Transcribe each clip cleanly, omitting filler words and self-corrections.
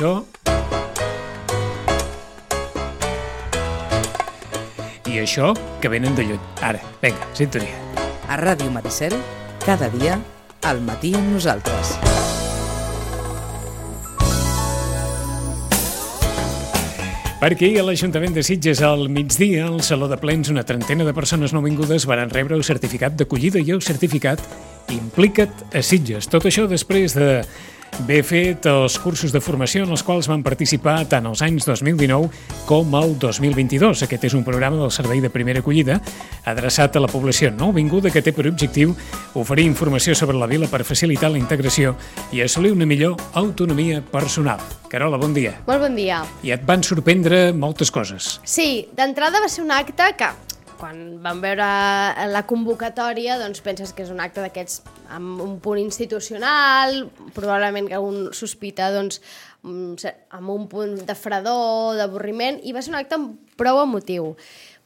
això... I això que venen de lluny. Ara, vinga, sintonia. A Ràdio Maricel, cada dia, al matí amb nosaltres. Perquè a l'Ajuntament de Sitges al migdia, al Saló de Plens, una trentena de persones nouvingudes van rebre el certificat d'acollida i el certificat Implica't a Sitges. Tot això després d'haver fet els cursos de formació en els quals van participar tant els anys 2019 com el 2022. Aquest és un programa del Servei de Primera Acollida adreçat a la població nouvinguda que té per objectiu oferir informació sobre la vila per facilitar la integració i assolir una millor autonomia personal. Carola, bon dia. Molt bon dia. I et van sorprendre moltes coses. Sí, d'entrada va ser un acte que, quan vam veure la convocatòria, doncs penses que és un acte d'aquests amb un punt institucional, probablement que un sospita doncs, amb un punt de fredor, d'avorriment, i va ser un acte prou emotiu.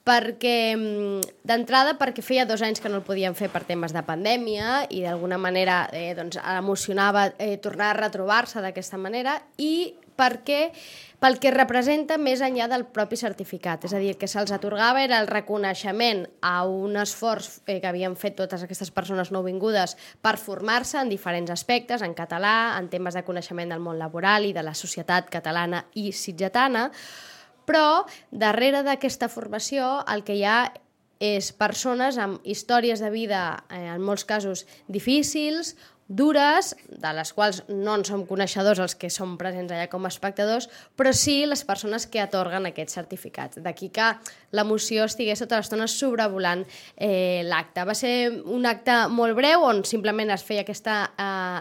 D'entrada perquè feia 2 anys que no el podíem fer per temes de pandèmia i d'alguna manera doncs, emocionava tornar a retrobar-se d'aquesta manera, i pel que representa més enllà del propi certificat. És a dir, el que se'ls atorgava era el reconeixement a un esforç que havien fet totes aquestes persones nouvingudes per formar-se en diferents aspectes, en català, en temes de coneixement del món laboral i de la societat catalana i sitgetana, però darrere d'aquesta formació el que hi ha és persones amb històries de vida, en molts casos difícils, dures, de les quals no en som coneixedors els que som presents allà com a espectadors, però sí les persones que atorguen aquests certificats. D'aquí que l'emoció estigués tota l'estona sobrevolant l'acte. Va ser un acte molt breu on simplement es feia aquesta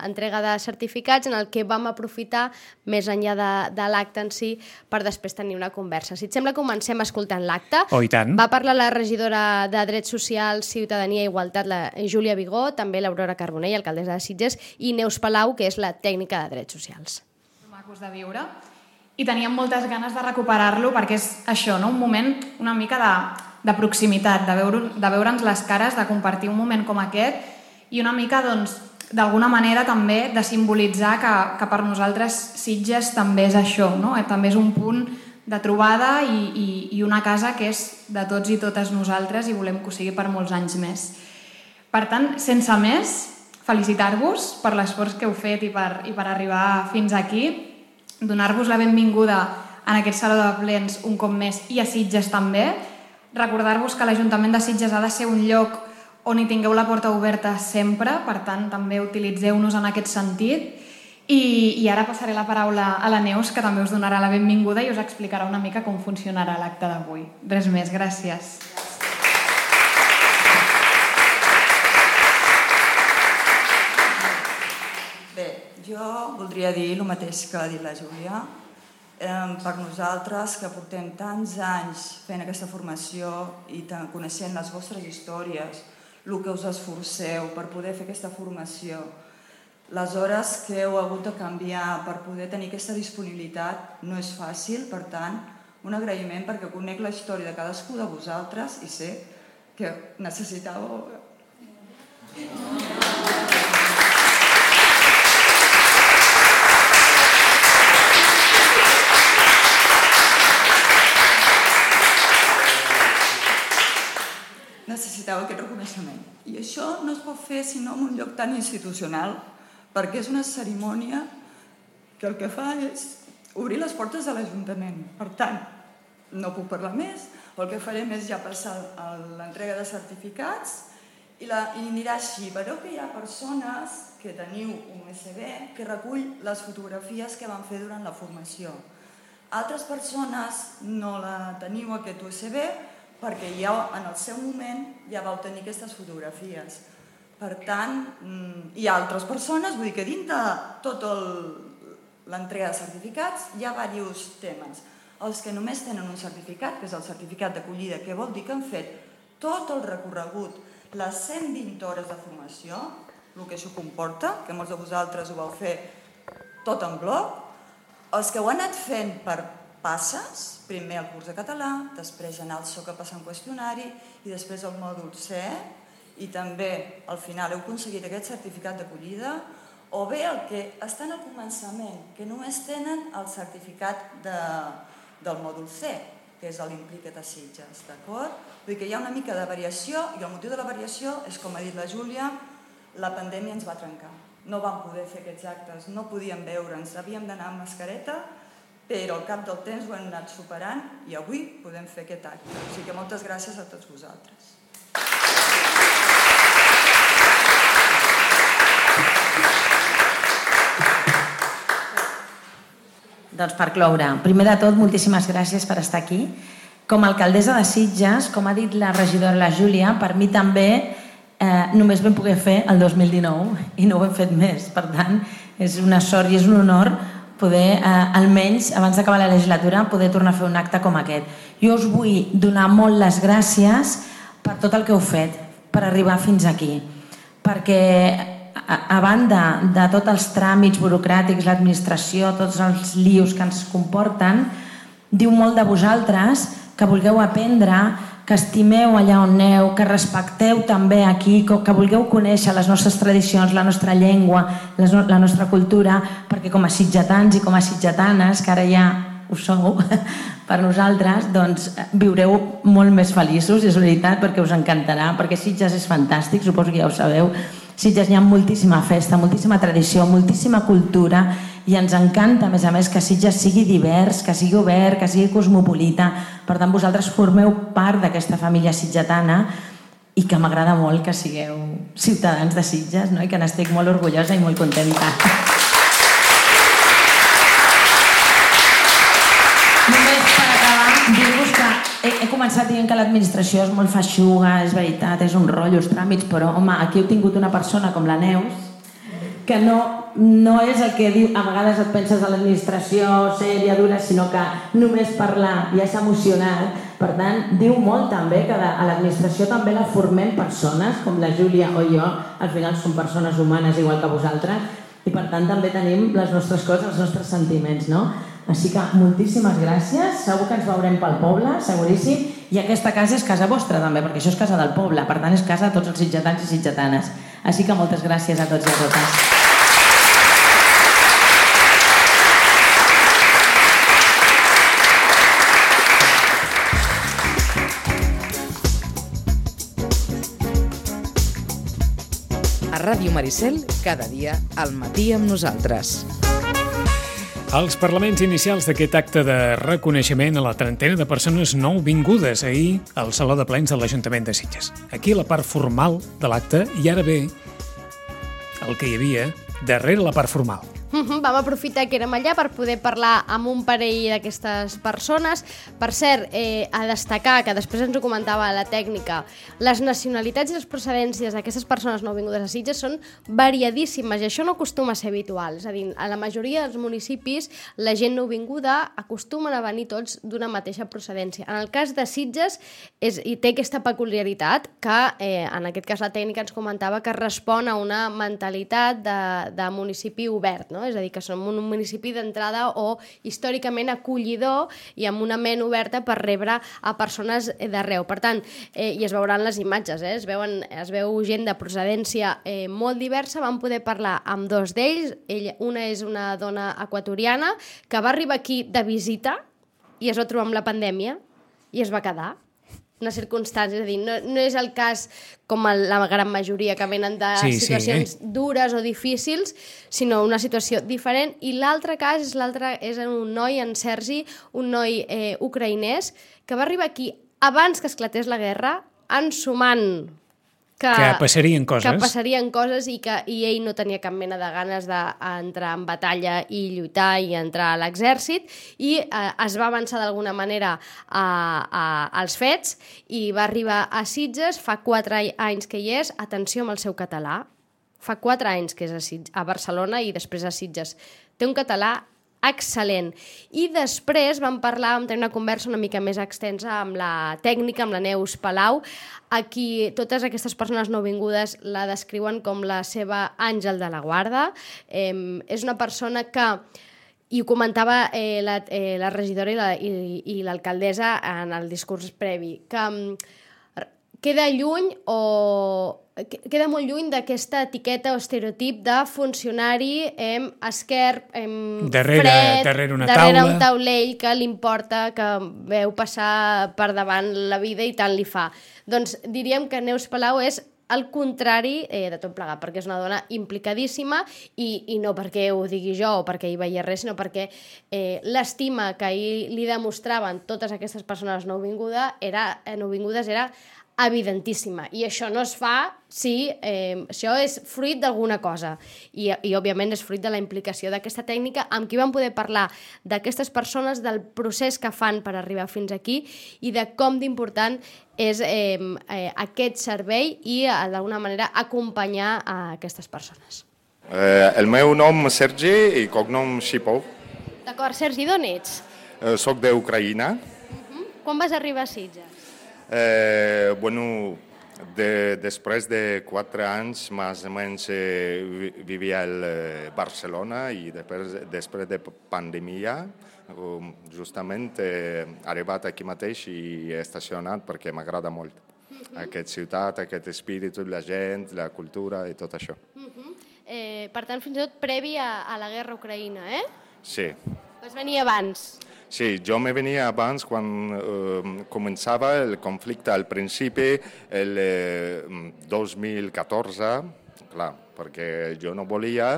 entrega de certificats en el que vam aprofitar més enllà de l'acte en si per després tenir una conversa. Si et sembla, comencem escoltant l'acte. Oh, i tant. Va parlar la regidora de Drets Socials, Ciutadania i Igualtat, la Júlia Vigó, també l'Aurora Carbonell, alcaldessa de Sitges, i Neus Palau, que és la tècnica de Drets Socials. Macos de viure, i teníem moltes ganes de recuperar-lo perquè és això, no? Un moment una mica de proximitat, de veure'ns les cares, de compartir un moment com aquest i una mica, doncs, d'alguna manera també de simbolitzar que per nosaltres Sitges també és això, no? També és un punt de trobada i una casa que és de tots i totes nosaltres i volem que ho sigui per molts anys més. Per tant, sense més, felicitar-vos per l'esforç que heu fet i per arribar fins aquí, donar-vos la benvinguda en aquest Saló de Plens un cop més i a Sitges també, recordar-vos que l'Ajuntament de Sitges ha de ser un lloc on hi tingueu la porta oberta sempre, per tant també utilitzeu-nos en aquest sentit, i ara passaré la paraula a la Neus, que també us donarà la benvinguda i us explicarà una mica com funcionarà l'acte d'avui. Res més, gràcies. Jo voldria dir el mateix que ha dit la Júlia. Per nosaltres, que portem tants anys fent aquesta formació i coneixent les vostres històries, el que us esforceu per poder fer aquesta formació, les hores que heu hagut de canviar per poder tenir aquesta disponibilitat, no és fàcil. Per tant, un agraïment perquè conec la història de cadascú de vosaltres i sé que necessitàveu... necessitava aquest reconeixement. I això no es pot fer sinó en un lloc tan institucional, perquè és una cerimònia que el que fa és obrir les portes de l'Ajuntament. Per tant, no puc parlar més, el que farem és ja passar a l'entrega de certificats i anirà així. Veureu que hi ha persones que teniu un USB que recull les fotografies que van fer durant la formació. Altres persones no la teniu, aquest USB, perquè ja en el seu moment ja vau tenir aquestes fotografies. Per tant, hi ha altres persones, vull dir que dins de tota l'entrega de certificats hi ha diversos temes. Els que només tenen un certificat, que és el certificat d'acollida, que vol dir que han fet tot el recorregut, les 120 hores de formació, el que això comporta, que molts de vosaltres ho vau fer tot en bloc, els que ho han anat fent per passes, primer el curs de català, després anar al SOC a passar un qüestionari i després el mòdul C, i també al final heu aconseguit aquest certificat d'acollida, o bé el que estan al començament, que només tenen el certificat del mòdul C, que és l'Implica't a Sitges, d'acord? Vull dir que hi ha una mica de variació i el motiu de la variació és, com ha dit la Júlia, la pandèmia ens va trencar. No vam poder fer aquests actes, no podíem veure'ns, havíem d'anar amb mascareta, però al cap del temps ho hem anat superant i avui podem fer aquest acte. O sigui que moltes gràcies a tots vosaltres. Doncs per cloure, primer de tot, moltíssimes gràcies per estar aquí. Com a alcaldessa de Sitges, com ha dit la regidora la Júlia, per mi també només vam poder fer el 2019 i no ho hem fet més. Per tant, és una sort i és un honor poder, almenys abans d'acabar la legislatura, poder tornar a fer un acte com aquest. Jo us vull donar molt les gràcies per tot el que heu fet, per arribar fins aquí. Perquè a banda de tots els tràmits burocràtics, l'administració, tots els lius que ens comporten, diu molt de vosaltres que vulgueu aprendre, que estimeu allà on aneu, que respecteu també aquí, que vulgueu conèixer les nostres tradicions, la nostra llengua, la nostra cultura, perquè com a sitgetans i com a sitgetanes, que ara ja ho sou per nosaltres, doncs viureu molt més feliços, és veritat, perquè us encantarà, perquè Sitges és fantàstic, suposo que ja ho sabeu. Sitges hi ha moltíssima festa, moltíssima tradició, moltíssima cultura i ens encanta, a més, que Sitges sigui divers, que sigui obert, que sigui cosmopolita. Per tant, vosaltres formeu part d'aquesta família sitgetana i que m'agrada molt que sigueu ciutadans de Sitges, no? I que n'estic molt orgullosa i molt contenta. Només per acabar, dir-vos que he començat dient que l'administració és molt feixuga, és veritat, és un rotllo, els tràmits, però home, aquí heu tingut una persona com la Neus que no és el que diu, a vegades et penses a l'administració sèria, dura, sinó que només parlar ja s'ha emocionat. Per tant, diu molt també que a l'administració també la formem persones, com la Júlia o jo, al final som persones humanes igual que vosaltres, i per tant també tenim les nostres coses, els nostres sentiments, no? Així que moltíssimes gràcies, segur que ens veurem pel poble, seguríssim, i aquesta casa és casa vostra també, perquè això és casa del poble, per tant és casa de tots els sitgetans i sitgetanes. Així que moltes gràcies a tots i a totes. A Ràdio Maricel, cada dia al matí amb nosaltres. Els parlaments inicials d'aquest acte de reconeixement a la trentena de persones nouvingudes ahir al Saló de Plens de l'Ajuntament de Sitges. Aquí la part formal de l'acte i ara ve el que hi havia darrere la part formal. Vam aprofitar que érem allà per poder parlar amb un parell d'aquestes persones. Per cert, a destacar, que després ens ho comentava la tècnica, les nacionalitats i les procedències d'aquestes persones nouvingudes a Sitges són variadíssimes i això no acostuma a ser habitual. És a dir, a la majoria dels municipis la gent nouvinguda acostumen a venir tots d'una mateixa procedència. En el cas de Sitges i té aquesta peculiaritat que en aquest cas la tècnica ens comentava que respon a una mentalitat de municipi obert, no? És a dir, que som un municipi d'entrada o històricament acollidor i amb una ment oberta per rebre a persones d'arreu. Per tant, i es veuran les imatges, es veu gent de procedència molt diversa. Vam poder parlar amb dos d'ells. Una és una dona equatoriana que va arribar aquí de visita i es va trobar amb la pandèmia i es va quedar. Una circumstància, és a dir, no és el cas com la gran majoria que venen de situacions dures o difícils, sinó una situació diferent. I l'altre cas és un noi, en Sergi, un noi ucraïnès, que va arribar aquí abans que esclatés la guerra, ensumant que passarien coses i ell no tenia cap mena de ganes d'entrar en batalla i lluitar i entrar a l'exèrcit i es va avançar d'alguna manera als fets i va arribar a Sitges, fa 4 anys que hi és, atenció amb el seu català, fa 4 anys que és a Barcelona i després a Sitges. Té un català excel·lent. I després vam tenir una conversa una mica més extensa amb la tècnica, amb la Neus Palau, a qui totes aquestes persones nouvingudes la descriuen com la seva àngel de la guarda. És una persona que, i ho comentava la regidora i l'alcaldessa en el discurs previ, que queda molt lluny d'aquesta etiqueta o estereotip de funcionari esquerp, darrere una taula, darrere un taulell que li importa, que veu passar per davant la vida i tant li fa. Doncs diríem que Neus Palau és el contrari de tot plegat, perquè és una dona implicadíssima i no perquè ho digui jo o perquè hi veia res, sinó perquè l'estima que ahir li demostraven totes aquestes persones nouvingudes era evidentíssima, i això no es fa si això és fruit d'alguna cosa, i òbviament és fruit de la implicació d'aquesta tècnica, amb qui vam poder parlar d'aquestes persones, del procés que fan per arribar fins aquí i de com d'important és aquest servei i d'alguna manera acompanyar a aquestes persones. El meu nom és Sergi i cognom Shipov. D'acord, Sergi, d'on ets? Soc d'Ucraïna. Quan vas arribar a Sitges? Després de 4 anys, més o menys, vivia a Barcelona i després de pandèmia, justament he arribat aquí mateix i he estacionat perquè m'agrada molt. Aquesta ciutat, aquest espírit, la gent, la cultura i tot això. Per tant, fins i tot previ a la guerra a Ucraïna, eh? Sí. Vas venir abans. Sí, jo me venia abans quan començava el conflicte al principi, el 2014, clar, perquè jo no volia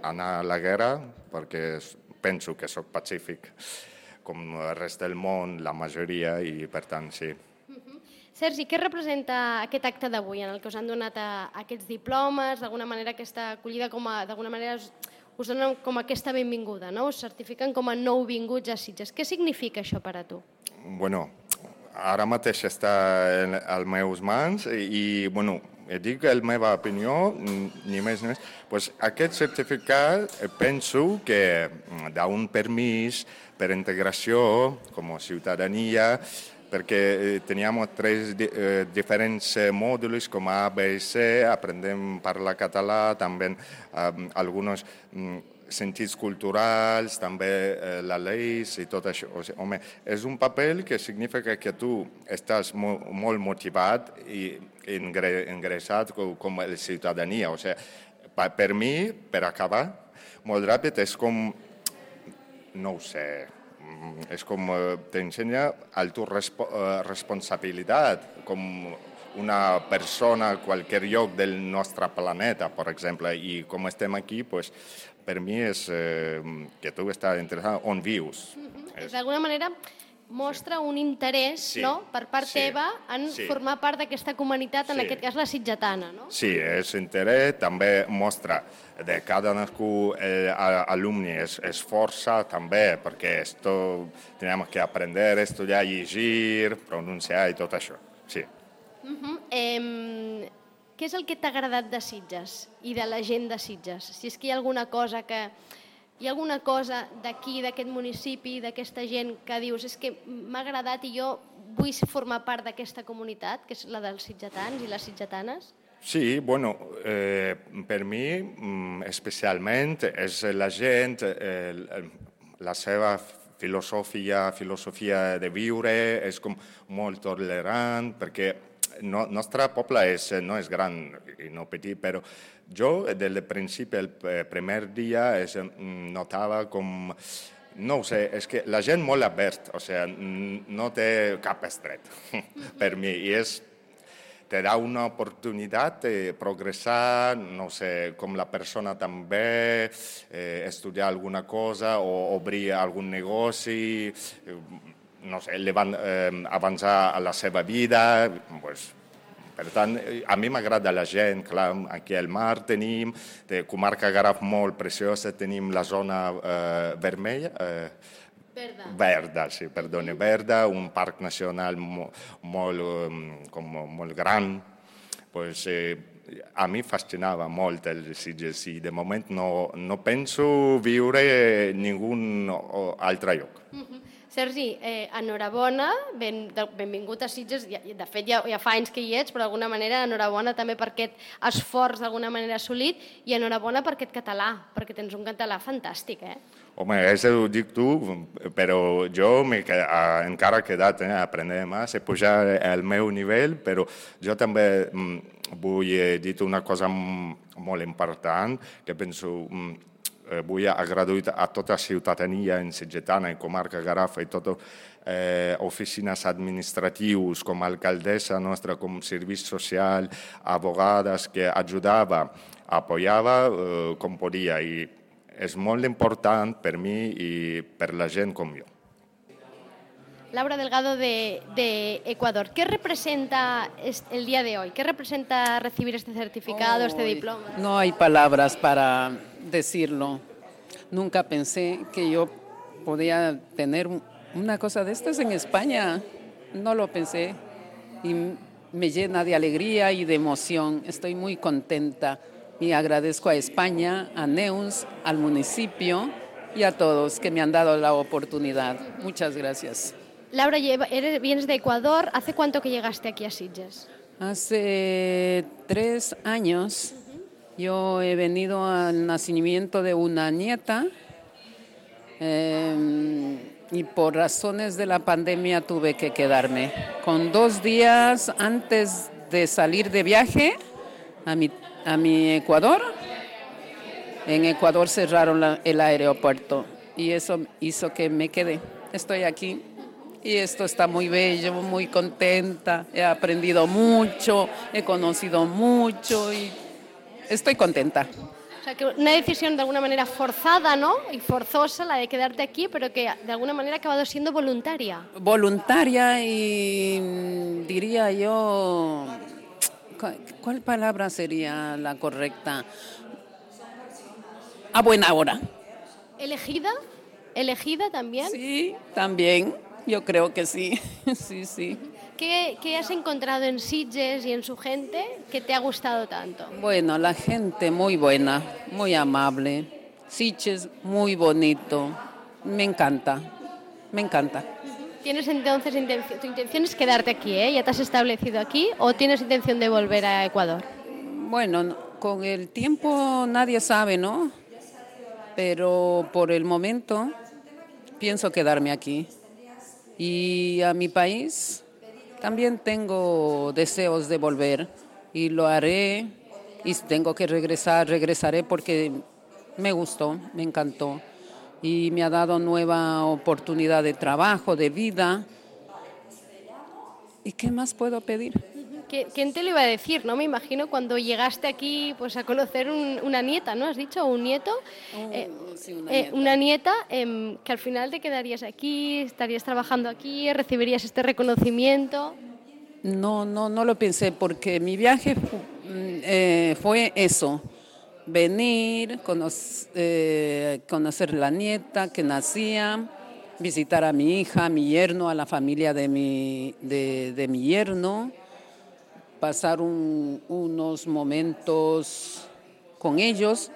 anar a la guerra perquè penso que sóc pacífic, com el rest del món, la majoria, i per tant sí. Sergi, què representa aquest acte d'avui en el que us han donat aquests diplomes, d'alguna manera aquesta acollida, d'alguna manera us donen com aquesta benvinguda, no? Us certifiquen com a nouvinguts a Sitges. Què significa això per a tu? Bueno, ara mateix està a les meves mans i, dic la meva opinió, ni més ni més. Pues aquest certificat penso que d'un permís per integració com a ciutadania, perquè teníem 3 diferents mòduls com A, B i C, aprendem a parlar català, també alguns sentits culturals, també la llei i tot això. O sigui, home, és un paper que significa que tu estàs molt motivat i ingressat com a ciutadania. O sigui, per mi, per acabar, molt ràpid, és com, no ho sé, és com t'ensenya responsabilitat, com una persona a qualsevol lloc del nostre planeta, per exemple, i com estem aquí, pues, per mi és que tu estàs interessat on vius. D'alguna manera mostra un interès per part teva en formar part d'aquesta comunitat, en aquest cas la sitgetana, no? Sí, és interès, també mostra de cada nascut alumni és força també, perquè tenim que aprendre, estudiar, llegir, pronunciar i tot això, sí. Què és el que t'ha agradat de Sitges i de la gent de Sitges? Si és que hi ha alguna cosa d'aquí, d'aquest municipi, d'aquesta gent que dius és que m'ha agradat i jo vull formar part d'aquesta comunitat, que és la dels sitgetans i les sitgetanes? Sí, bueno, per mi especialment és la gent, la seva filosofia de viure és com molt tolerant, perquè el nostre poble no és gran i no petit, però jo des del principi, el primer dia, notava com, no ho sé, és que la gent molt oberta, o sigui, no té cap estret per mi, i te da una oportunitat de progressar, no sé, com la persona també, estudiar alguna cosa o obrir algun negoci, no sé, avançar a la seva vida. Per tant, a mi m'agrada la gent, clar, aquí al mar tenim, de comarca Garraf molt preciosa, tenim la zona vermella, verda, sí, perdoni, verda, un parc nacional molt gran. Pues, a mi fascinava molt el Sitges i de moment no penso viure en ningun altre lloc. Sergi, enhorabona, benvingut a Sitges, de fet ja fa anys que hi ets, però d'alguna manera enhorabona també per aquest esforç d'alguna manera assolit i enhorabona per aquest català, perquè tens un català fantàstic, Home, això ho dic tu, però jo encara he quedat a aprendre més, he pujat el meu nivell, però jo també vull dir una cosa molt important, que penso vull agrair a tota la ciutadania sitgetana, en comarca Garraf i totes oficines administratius, com alcaldessa nostra, com servei social, abogades que ajudava, apoyava com podia, i és molt important per mi i per la gent com jo. Laura Delgado de Ecuador, ¿qué representa el día de hoy? ¿Qué representa recibir este certificado, este diploma? No hay palabras para decirlo. Nunca pensé que yo podía tener una cosa de estas en España. No lo pensé y me llena de alegría y de emoción. Estoy muy contenta y agradezco a España, a Neus, al municipio y a todos que me han dado la oportunidad. Muchas gracias. Laura, vienes de Ecuador. ¿Hace cuánto que llegaste aquí a Sitges? Hace 3 años. Yo he venido al nacimiento de una nieta y por razones de la pandemia tuve que quedarme. Con 2 días antes de salir de viaje a mi Ecuador, en Ecuador cerraron el aeropuerto y eso hizo que me quedé. Estoy aquí. Y esto está muy bello, muy contenta, he aprendido mucho, he conocido mucho y estoy contenta. O sea, que una decisión de alguna manera forzada, ¿no? Y forzosa la de quedarte aquí, pero que de alguna manera ha acabado siendo voluntaria. Voluntaria y diría yo, ¿cuál palabra sería la correcta? A buena hora. ¿Elegida? ¿Elegida también? Sí, también. Yo creo que sí, sí. ¿Qué has encontrado en Sitges y en su gente que te ha gustado tanto? Bueno, la gente muy buena, muy amable. Sitges muy bonito. Me encanta. ¿Tienes entonces tu intención es quedarte aquí, ¿Ya te has establecido aquí o tienes intención de volver a Ecuador? Bueno, con el tiempo nadie sabe, ¿no? Pero por el momento pienso quedarme aquí. Y a mi país también tengo deseos de volver y lo haré. Y si tengo que regresaré porque me gustó, me encantó. Y me ha dado nueva oportunidad de trabajo, de vida. ¿Y qué más puedo pedir? ¿Quién te lo iba a decir, no? Me imagino cuando llegaste aquí pues a conocer una nieta, ¿no? ¿Has dicho? ¿Un nieto? Sí, una nieta que al final te quedarías aquí, estarías trabajando aquí, recibirías este reconocimiento. No lo pensé porque mi viaje fue eso. Venir, conocer la nieta que nacía, visitar a mi hija, a mi yerno, a la familia de mi yerno, pasar unos momentos con ellos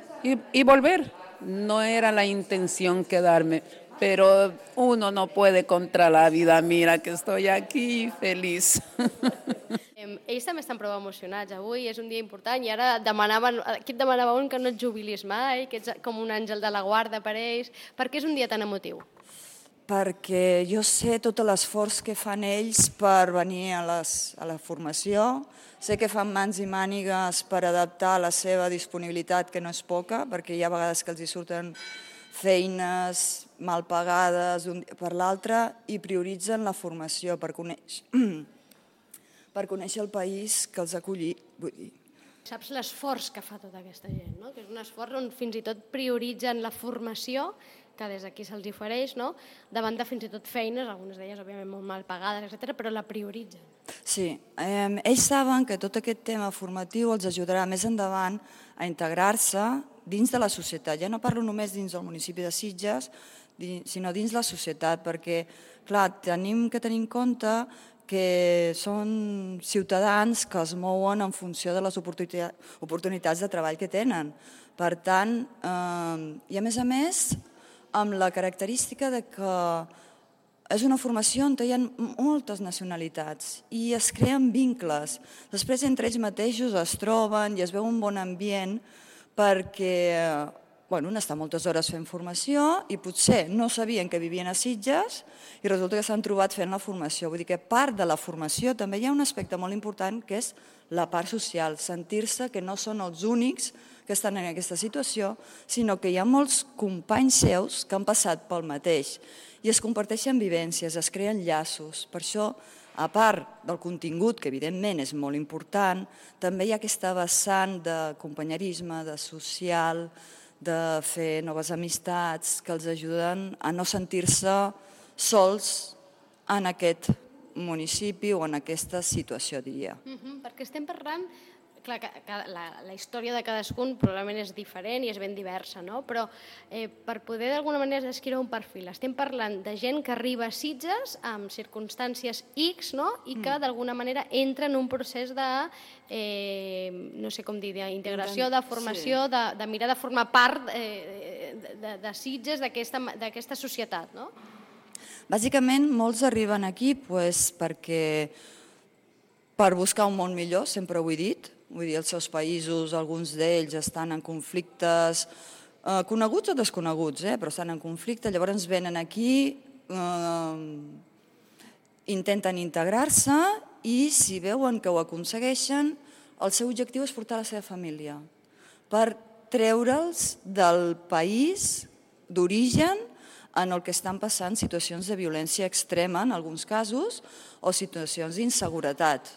y volver. No era la intención quedarme, pero uno no puede contra la vida. Mira que estoy aquí feliç. Ells també estan prou emocionats avui, és un dia important i ara aquí et demanava un que no et jubilis mai, que ets com un àngel de la guarda per ells. Per què és un dia tan emotiu? Perquè jo sé tot l'esforç que fan ells per venir a la formació, sé que fan mans i mànigues per adaptar la seva disponibilitat, que no és poca, perquè hi ha vegades que els hi surten feines mal pagades d'un dia per l'altre i prioritzen la formació per conèixer el país que els ha acollit. Saps l'esforç que fa tota aquesta gent, no? Que és un esforç on fins i tot prioritzen la formació que des d'aquí se'ls ofereix, no? Davant de fins i tot feines, algunes d'elles òbviament molt mal pagades, etc., però la prioritzen. Sí, ells saben que tot aquest tema formatiu els ajudarà més endavant a integrar-se dins de la societat. Ja no parlo només dins del municipi de Sitges, sinó dins la societat, perquè, clar, tenim que tenir en compte que són ciutadans que es mouen en funció de les oportunitats de treball que tenen. Per tant, i a més, amb la característica de que és una formació on hi ha moltes nacionalitats i es creen vincles. Després entre ells mateixos es troben i es veu un bon ambient perquè han estat moltes hores fent formació i potser no sabien que vivien a Sitges i resulta que s'han trobat fent la formació. Vull dir que part de la formació també hi ha un aspecte molt important que és la part social, sentir-se que no són els únics que estan en aquesta situació, sinó que hi ha molts companys seus que han passat pel mateix i es comparteixen vivències, es creen llaços. Per això, a part del contingut, que evidentment és molt important, també hi ha aquesta vessant de companyerisme, de social, de fer noves amistats que els ajuden a no sentir-se sols en aquest municipi o en aquesta situació, diria. Perquè estem parlant, clar, la història de cadascun probablement és diferent i és ben diversa, no? Però per poder d'alguna manera descriure un perfil, estem parlant de gent que arriba a Sitges amb circumstàncies X, no? I que d'alguna manera entra en un procés de, no sé com dir, d'integració, de formació, de mirar de formar part de Sitges, d'aquesta societat, no? Bàsicament, molts arriben aquí perquè per buscar un món millor, sempre ho he dit, vull dir, els seus països, alguns d'ells estan en conflictes coneguts o desconeguts, però estan en conflicte, llavors venen aquí, intenten integrar-se i si veuen que ho aconsegueixen, el seu objectiu és portar la seva família per treure'ls del país d'origen en el que estan passant situacions de violència extrema, en alguns casos, o situacions d'inseguretat.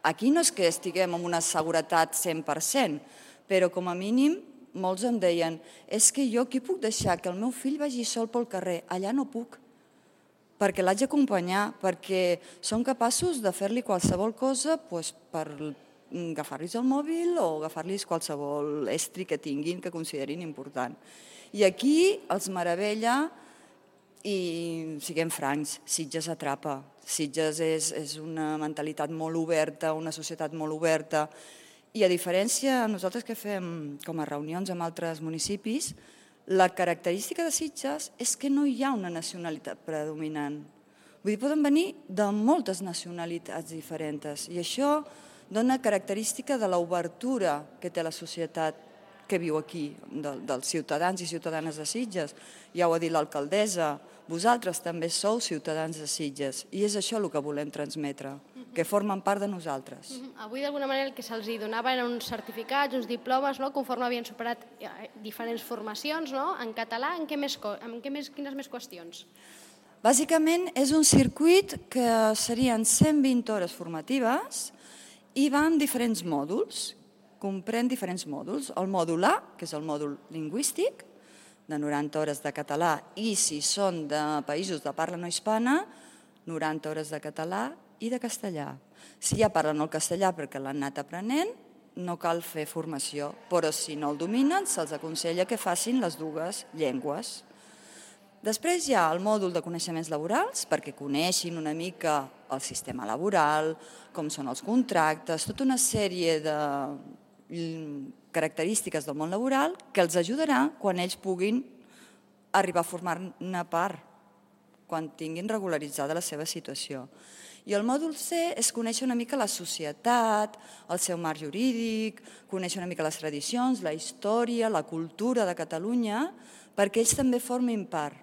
Aquí no és que estiguem en una seguretat 100%, però com a mínim molts em deien és que jo aquí puc deixar que el meu fill vagi sol pel carrer, allà no puc, perquè l'haig d'acompanyar, perquè són capaços de fer-li qualsevol cosa per agafar-los el mòbil o agafar-los qualsevol estri que tinguin que considerin important. I aquí els meravella. I siguem francs, Sitges atrapa. Sitges és una mentalitat molt oberta, una societat molt oberta. I a diferència, nosaltres que fem com a reunions amb altres municipis, la característica de Sitges és que no hi ha una nacionalitat predominant. Vull dir, poden venir de moltes nacionalitats diferents i això dona característica de l'obertura que té la societat que viu aquí, dels ciutadans i ciutadanes de Sitges. Ja ho ha dit l'alcaldessa, vosaltres també sou ciutadans de Sitges i és això el que volem transmetre, que formen part de nosaltres. Avui d'alguna manera el que se'ls donava eren uns certificats, uns diplomes, conforme havien superat diferents formacions, en català, quines més qüestions? Bàsicament és un circuit que serien 120 hores formatives i va en diferents mòduls, comprèn diferents mòduls. El mòdul A, que és el mòdul lingüístic, de 90 hores de català, i si són de països de parla no hispana, 90 hores de català i de castellà. Si ja parlen el castellà perquè l'han anat aprenent, no cal fer formació, però si no el dominen, se'ls aconsella que facin les dues llengües. Després hi ha el mòdul de coneixements laborals, perquè coneixin una mica el sistema laboral, com són els contractes, tota una sèrie de característiques del món laboral que els ajudarà quan ells puguin arribar a formar-ne part, quan tinguin regularitzada la seva situació. I el mòdul C és conèixer una mica la societat, el seu marc jurídic, conèixer una mica les tradicions, la història, la cultura de Catalunya, perquè ells també formin part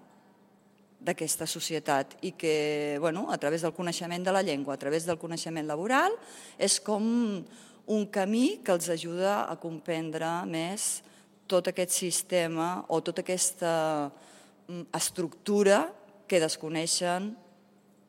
d'aquesta societat i que, a través del coneixement de la llengua, a través del coneixement laboral, és com un camí que els ajuda a comprendre més tot aquest sistema o tota aquesta estructura que desconeixen,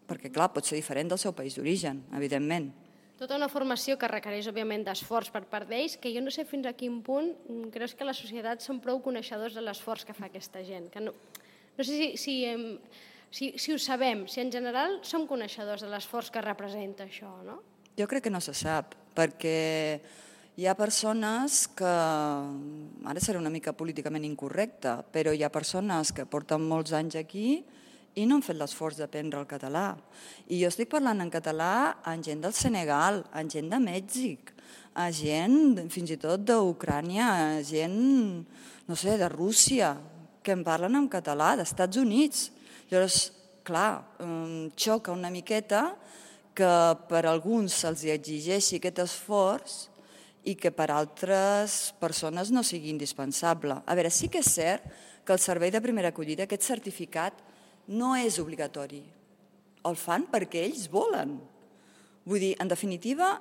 perquè, clar, pot ser diferent del seu país d'origen, evidentment. Tota una formació que requereix, òbviament, d'esforç per part d'ells, que jo no sé fins a quin punt creus que la societat són prou coneixedors de l'esforç que fa aquesta gent. No sé si ho sabem, si en general som coneixedors de l'esforç que representa això, no? Jo crec que no se sap, perquè hi ha persones que, ara serà una mica políticament incorrecte, però hi ha persones que porten molts anys aquí i no han fet l'esforç d'aprendre el català. I jo estic parlant en català amb gent del Senegal, amb gent de Mèxic, a gent fins i tot d'Ucrània, a gent, no sé, de Rússia, que en parlen en català, d'Estats Units. Llavors, clar, xoca una miqueta que per alguns se'ls exigeixi aquest esforç i que per altres persones no sigui indispensable. A veure, sí que és cert que el servei de primera acollida, aquest certificat, no és obligatori. El fan perquè ells volen. Vull dir, en definitiva,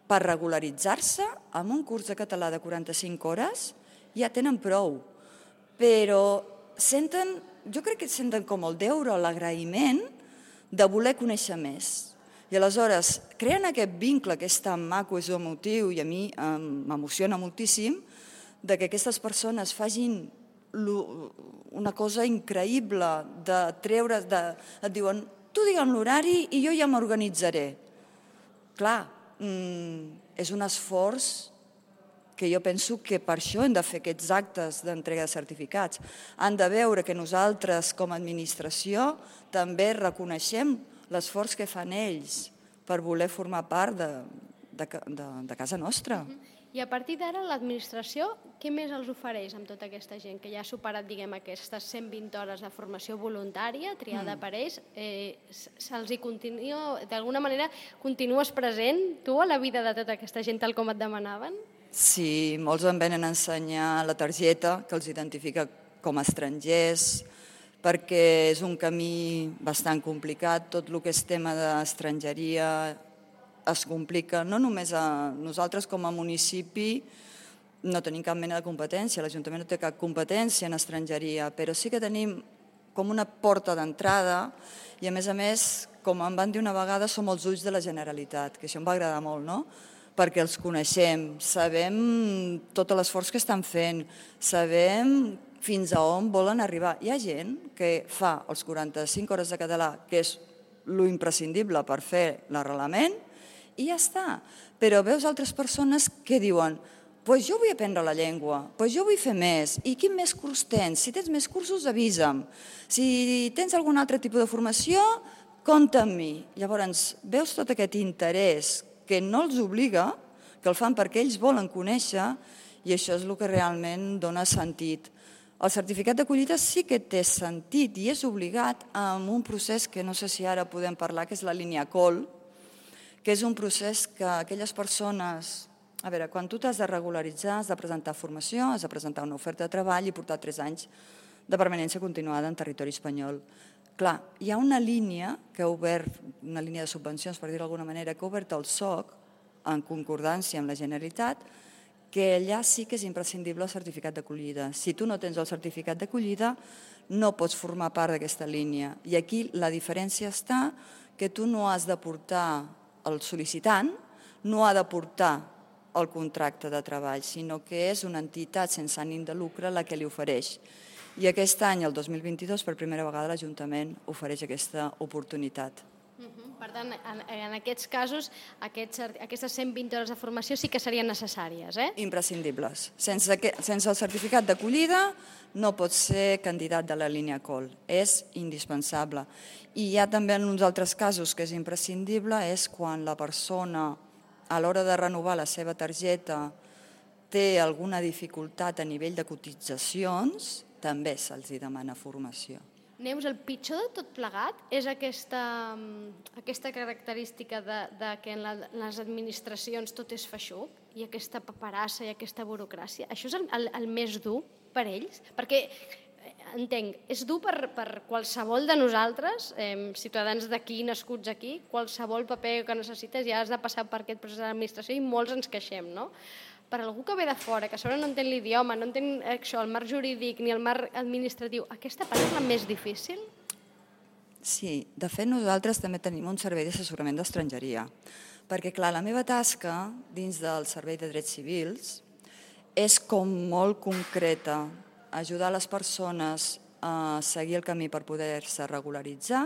per regularitzar-se, amb un curs de català de 45 hores ja tenen prou. Però senten, jo crec que senten com el deure, l'agraïment de voler conèixer més. I aleshores creen aquest vincle que és tan maco, és emotiu, i a mi m'emociona moltíssim, de que aquestes persones facin una cosa increïble de treure's, et diuen, tu digue'm l'horari i jo ja m'organitzaré. Clar, és un esforç que jo penso que per això hem de fer aquests actes d'entrega de certificats. Han de veure que nosaltres, com a administració, també reconeixem l'esforç que fan ells per voler formar part de casa nostra. I a partir d'ara, l'administració, què més els ofereix amb tota aquesta gent que ja ha superat, diguem, aquestes 120 hores de formació voluntària triada per ells? Se'ls hi continua, d'alguna manera, continues present tu a la vida de tota aquesta gent tal com et demanaven? Sí, molts em venen a ensenyar la targeta que els identifica com a estrangers, perquè és un camí bastant complicat, tot el que és tema d'estrangeria es complica, no només a nosaltres com a municipi no tenim cap mena de competència, l'Ajuntament no té cap competència en estrangeria, però sí que tenim com una porta d'entrada i a més, com em van dir una vegada, som els ulls de la Generalitat, que això em va agradar molt, no? Perquè els coneixem, sabem tot l'esforç que estan fent, sabem fins a on volen arribar. Hi ha gent que fa els 45 hores de català, que és lo imprescindible per fer l'arrelament, i ja està. Però veus altres persones que diuen pues jo vull aprendre la llengua, pues jo vull fer més, i quin més curs tens? Si tens més cursos, avisa'm. Si tens algun altre tipus de formació, compta amb mi. Llavors, veus tot aquest interès que no els obliga, que el fan perquè ells volen conèixer, i això és el que realment dona sentit. El certificat d'acollida sí que té sentit i és obligat amb un procés que no sé si ara podem parlar, que és la línia COL, que és un procés que aquelles persones... A veure, quan tu t'has de regularitzar, has de presentar formació, has de presentar una oferta de treball i portar 3 anys de permanència continuada en territori espanyol. Clar, hi ha una línia que ha obert, una línia de subvencions, per dir-ho d'alguna manera, que ha obert el SOC, en concordància amb la Generalitat, que allà sí que és imprescindible el certificat d'acollida. Si tu no tens el certificat d'acollida, no pots formar part d'aquesta línia. I aquí la diferència està que tu no has de portar el sol·licitant, no ha de portar el contracte de treball, sinó que és una entitat sense ànim de lucre la que li ofereix. I aquest any, el 2022, per primera vegada l'Ajuntament ofereix aquesta oportunitat. Per tant, en aquests casos, aquestes 120 hores de formació sí que serien necessàries, eh? Imprescindibles. Sense el certificat d'acollida no pots ser candidat de la línia COL. És indispensable. I hi ha també en uns altres casos que és imprescindible, és quan la persona a l'hora de renovar la seva targeta té alguna dificultat a nivell de cotitzacions, també se'ls demana formació. Neus, el pitjor de tot plegat és aquesta característica de que en les administracions tot és feixuc i aquesta paperassa i aquesta burocràcia. Això és el més dur per ells? Perquè, entenc, és dur per qualsevol de nosaltres, ciutadans d'aquí, nascuts aquí, qualsevol paper que necessites ja has de passar per aquest procés de l'administració i molts ens queixem, no? Per algú que ve de fora, que a sobre no entén l'idioma, no entén això, el marc jurídic ni el marc administratiu, aquesta part és la més difícil? Sí, de fet nosaltres també tenim un servei d'assessorament d'estrangeria, perquè clar, la meva tasca dins del servei de drets civils és com molt concreta, ajudar les persones a seguir el camí per poder-se regularitzar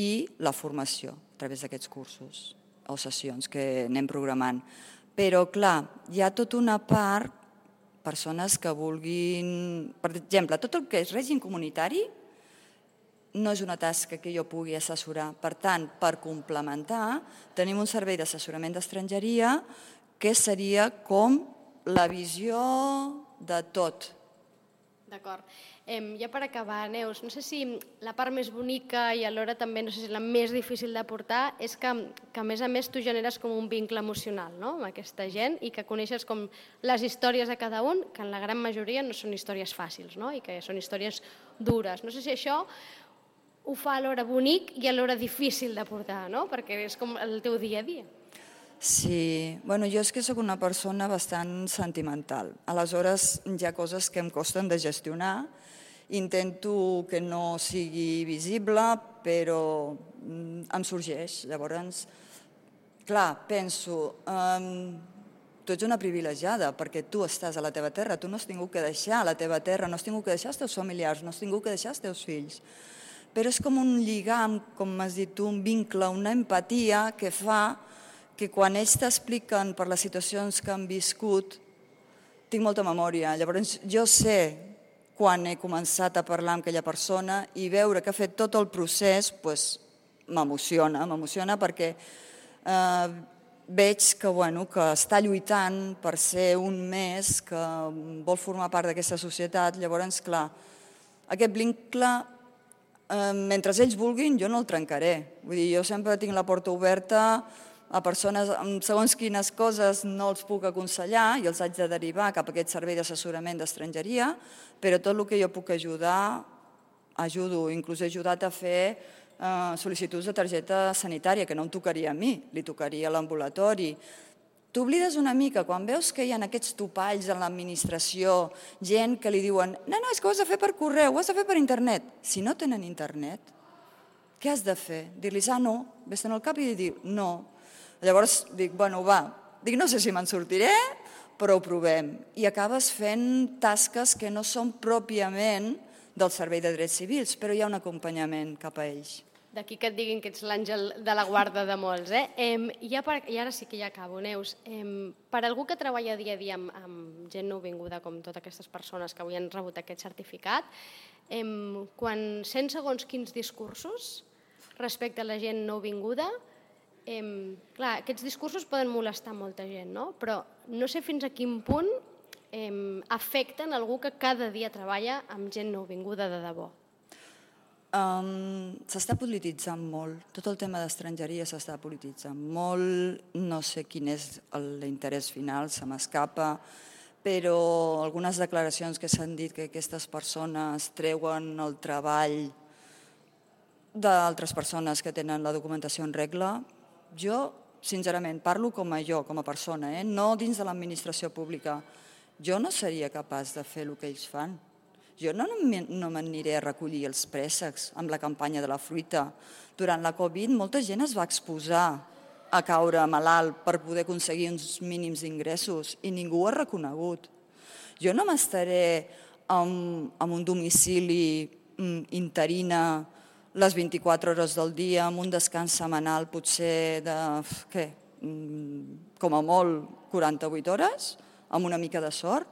i la formació a través d'aquests cursos o sessions que anem programant. Però, clar, hi ha tota una part, persones que vulguin... Per exemple, tot el que és règim comunitari no és una tasca que jo pugui assessorar. Per tant, per complementar, tenim un servei d'assessorament d'estrangeria que seria com la visió de tot. D'acord. Ja per acabar, Neus, no sé si la part més bonica i alhora també no sé si la més difícil de portar és que a més tu generes com un vincle emocional, no?, amb aquesta gent i que coneixes com les històries de cada un, que en la gran majoria no són històries fàcils, no?, i que són històries dures. No sé si això ho fa alhora bonic i alhora difícil de portar, no?, perquè és com el teu dia a dia. Sí, bueno, jo és que sóc una persona bastant sentimental. Aleshores, hi ha coses que em costen de gestionar. Intento que no sigui visible, però em sorgeix. Llavors, clar, penso, tu ets una privilegiada perquè tu estàs a la teva terra, tu no has tingut que deixar la teva terra, no has tingut que deixar els teus familiars, no has tingut que deixar els teus fills. Però és com un lligam, com m'has dit tu, un vincle, una empatia que fa que quan ells t'expliquen per les situacions que han viscut, tinc molta memòria. Llavors jo sé quan he començat a parlar amb aquella persona i veure que ha fet tot el procés m'emociona perquè veig que està lluitant per ser un més, que vol formar part d'aquesta societat. Llavors, clar, aquest vincle, mentre ells vulguin, jo no el trencaré. Vull dir, jo sempre tinc la porta oberta a persones amb segons quines coses no els puc aconsellar i els haig de derivar cap a aquest servei d'assessorament d'estrangeria, però tot el que jo puc ajudar, ajudo. Inclús he ajudat a fer sol·licituds de targeta sanitària, que no em tocaria a mi, li tocaria a l'ambulatori. T'oblides una mica quan veus que hi ha aquests topalls en l'administració, gent que li diuen no, és que ho has de fer per correu, ho has de fer per internet. Si no tenen internet, què has de fer? Dir-los, no, vés-te'n al cap i dir no. Llavors dic, no sé si me'n sortiré, però ho provem. I acabes fent tasques que no són pròpiament del Servei de Drets Civils, però hi ha un acompanyament cap a ells. D'aquí que et diguin que ets l'àngel de la guarda de molts. I ara sí que ja acabo, Neus. Per algú que treballa dia a dia amb gent nouvinguda, com totes aquestes persones que avui han rebut aquest certificat, quan sents segons quins discursos respecte a la gent nouvinguda, clar, aquests discursos poden molestar molta gent, no? Però no sé fins a quin punt afecten algú que cada dia treballa amb gent nouvinguda de debò. S'està polititzant molt. Tot el tema d'estrangeria s'està polititzant molt. No sé quin és l'interès final, se m'escapa, però algunes declaracions que s'han dit que aquestes persones treuen el treball d'altres persones que tenen la documentació en regla. Jo, sincerament, parlo com a persona, no dins de l'administració pública. Jo no seria capaç de fer el que ells fan. Jo no m'aniré a recollir els préssecs amb la campanya de la fruita. Durant la Covid molta gent es va exposar a caure malalt per poder aconseguir uns mínims ingressos i ningú ho ha reconegut. Jo no m'estaré en un domicili interina les 24 hores del dia, amb un descans setmanal potser de, com a molt 48 hores, amb una mica de sort,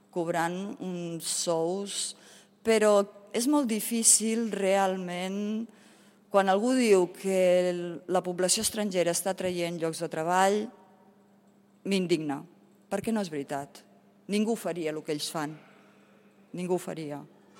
cobrant uns sous, però és molt difícil realment, quan algú diu que la població estrangera està traient llocs de treball, m'indigna, perquè no és veritat. Ningú faria el que ells fan, ningú faria.